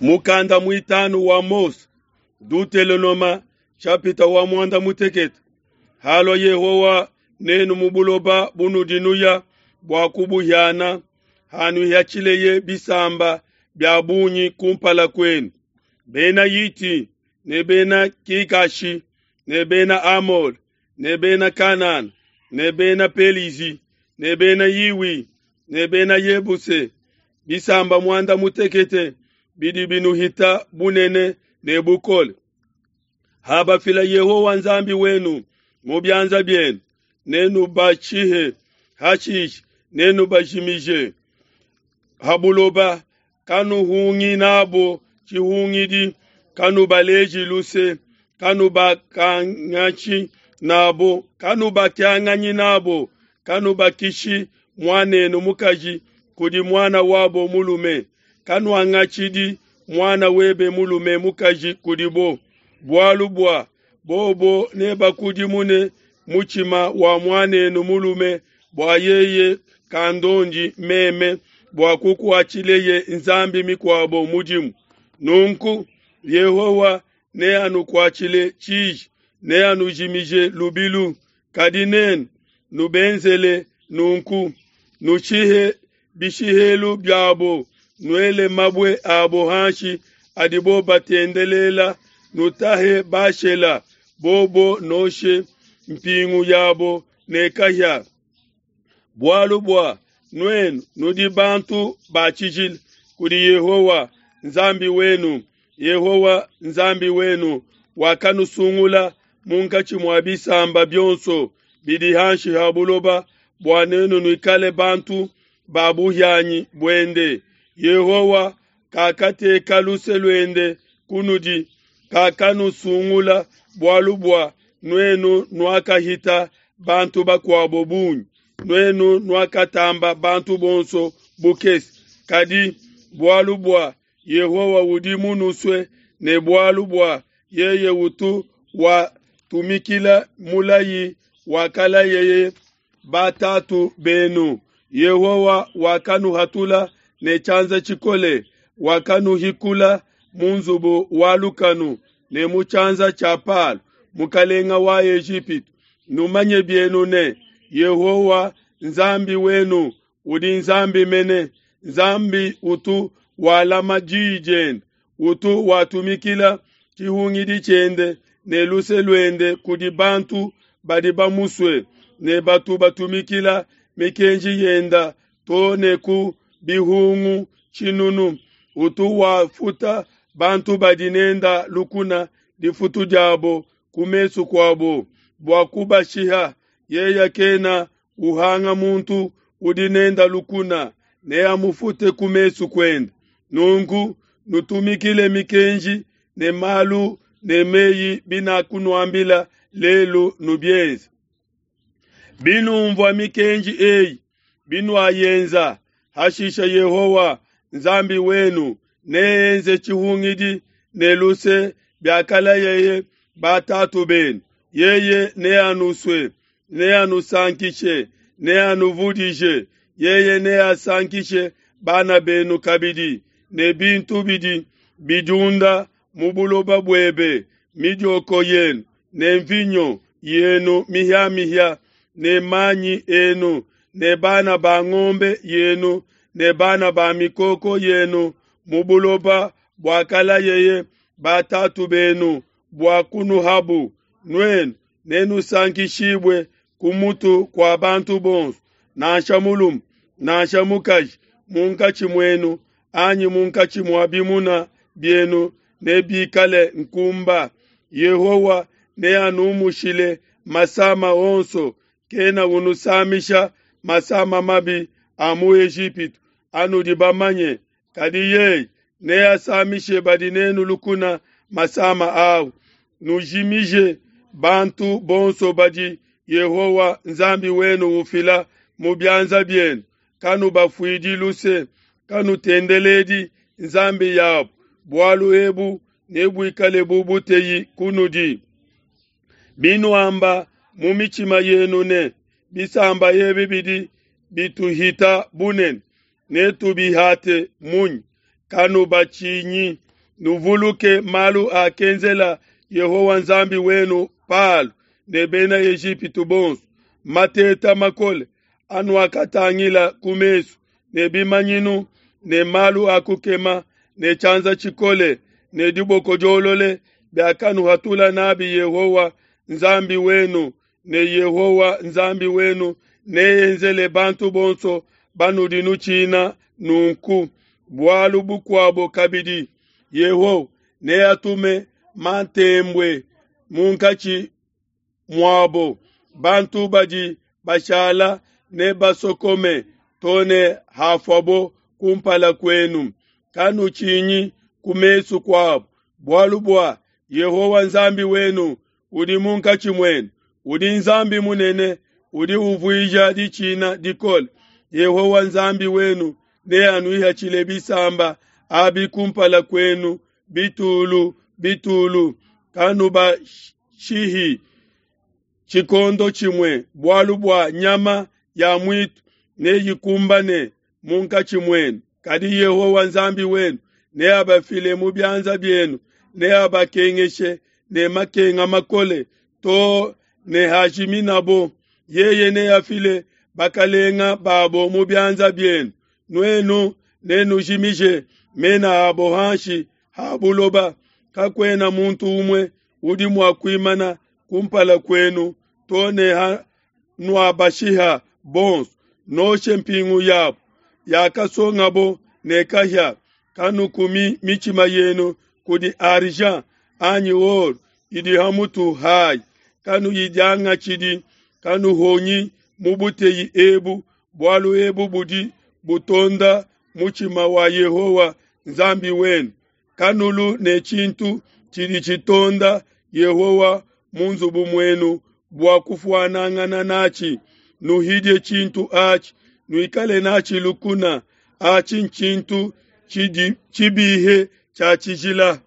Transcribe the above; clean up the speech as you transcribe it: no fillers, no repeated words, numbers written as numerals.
Mukanda muitanu wa Mose, Dutelonoma chapita wa mwanda mutekete. Halua Yehowa nenu mu buloba bunudi nuya bua kubuhiana, hanuihatshileye bisamba bia bungi kumpala kuenu, Bena Hiti ne Bena Kikashi ne Bena Amole ne Bena Kanana ne Bena Pelizi ne Bena Hiwi ne Bena Yebuse, bisamba muanda mutekete bidi binuhita bunene ne bukole. Habafila Yehowa Nzambi wenu mu bianza bienu, nenubashihe, hashishe nenubajimije ha buloba. Kanuhungi nabo tshihungidi, kanubaleji luse, kanubakangatshi nabo, kanubakianganyi nabo, kanubakishi muanenu mukaji kudi muana wabo mulume, kanuangatshidi muana webe mulume mukaji kudibo, bualu bua bobo nebakudimune mutshima wa muanenu mulume bua yeye kandondi meme bua kukuatshileye nzambi mikuabo mudimu. Nunku Yehowa neanukuatshile tshiji, neanujimije lubilu. Kadi nenu nubenzele nunku, nushihe bishihelu biabo, nuele mabue abo hanshi adibo batendelela, nutahe Bashela, bobo noshe mpingu yabo ne kahia. Bualu bua nuenu nudi bantu ba tshijila kudi Yehowa Nzambi wenu. Yehowa Nzambi wenu wakanusungula munkatshi mua bisamba bionso bidi hanshi ha buloba bua nenu nuikale bantu ba buhianyi buende. Yehowa kakateka luse luende kunudi, kakanusungula bualu bua nuenu nuakahita bantu bakuabo bungi, nuenu nuakatamba bantu bonso bukese. Kadi bualu bua Yehowa udi munusue ne bualu bua yeye utu watumikila mulayi wakalayeye batatu benu, Yehowa wakanuhatula ne tshianza tshikole, wakanuhikula mu nzubu wa lukanu ne mu tshianza tshia Palo, mukalenga wa Ejipitu. Numanye bienu ne, Yehowa Nzambi wenu udi Nzambi mene, Nzambi utu walama diyi diende, utu watumikila tshihungidi tshiende ne luse luende kudi bantu badi bamusue ne batu batumikila mikenji yenda to ne ku bihungu tshinunu. Utu wafuta bantu badi nenda lukuna difutu diabo ku mesu kuabo bua kubashiha. Yeye kena uhanga muntu udi nenda lukuna, neamufute ku mesu kuende. Nunku nutumikile mikenji ne malu ne meyi binakunuambila lelu, nubienze. Binumvua mikenji eyi, binuayenza, hashisha Yehowa Nzambi wenu neenze tshihungidi ne luse biakalayeye batatu benu. Yeye neanusue, neanusankishe, neanuvudije. Yeye neasankishe bana benu kabidi ne bintu bidi bidiunda mu buloba buebe, midioko yenu ne mvinyo yenu mihiamihia ne manyi enu ne bana ba ngombe yenu ne bana ba mikoko yenu mu buloba buakalayeye batatu benu bua kunuhabu. Nuenu nenusankishibue ku mutu kua bantu bonso, nansha mulume nansha mukaji, munkatshi muenu anyi munkatshi mua bimuna bienu nebikale nkumba. Yehowa neanumushile masama onso, kena unusamisha masama mabi a mu Ejipitu anudi bamanye, kadi yeye neasamishe badi nenu lukuna masama au. Nujimije bantu bonso badi Yehowa Nzambi wenu ufila mu bianza bienu, kanubafuidi luse, kanutendeledi nzambi yabo, bualu ebu nebuikale bu buteyi kunudi. Binuamba mu mitshima yenu ne, bisamba ebi bidi bituhita bunene, netubihate munyi? Kanubatshinyi. Nuvuluke malu akenzela Yehowa Nzambi wenu Palo ne bena Ejipitu bonso, mateta makole anuakatangila ku mesu, ne bimanyinu ne malu a kukema ne tshianza tshikole ne diboko diolole biakanuhatula nabi Yehowa Nzambi wenu, ne Yehowa Nzambi wenu neenzele bantu bonso banudi nutshina nunku. Bualu bukuabo kabidi, Yehowa neatume mantembue munkatshi muabo, bantu badi bashala nebasokome to ne hafuabo kumpala kuenu. Kanutshinyi ku mesu kuabo, bualu bua Yehowa Nzambi wenu udi munkatshi muenu, udi Nzambi munene, udi uvuija ditshina dikole. Yehowa Nzambi wenu neanuihatshile bisamba abi kumpala kuenu bitulu bitulu, kanubashihi tshikondo tshimue, bualu bua nyama ya muitu neyikumbane munkatshi muenu. Kadi Yehowa Nzambi wenu neabafile mu bianza bienu, neabakengeshe ne makenga makole to ne hajiminabo. Yeye neafile bakalenga babo mu bianza bienu, nuenu nenujimije mena abo hanshi ha buloba. Kakuena muntu umue udi mua kuimana kumpala kuenu to ne hanuabashiha bonso. Noshe mpingu yabo yakasongabo ne kahia. Kanukumi mitshima yenu kudi argent anyi or idi ha mutu hayi. Kanuyidiangatshidi, kanuhonyi mu buteyi ebu, bualu ebu budi butonda mutshima wa Yehowa Nzambi wenu. Kanulu ne tshintu tshidi tshitonda Yehowa mu nzubu muenu bua kufuanangana natshi. Nuhidie tshintu atshi, nuikale natshi lukuna. Atshi ntshintu tshibihe tshia tshijila.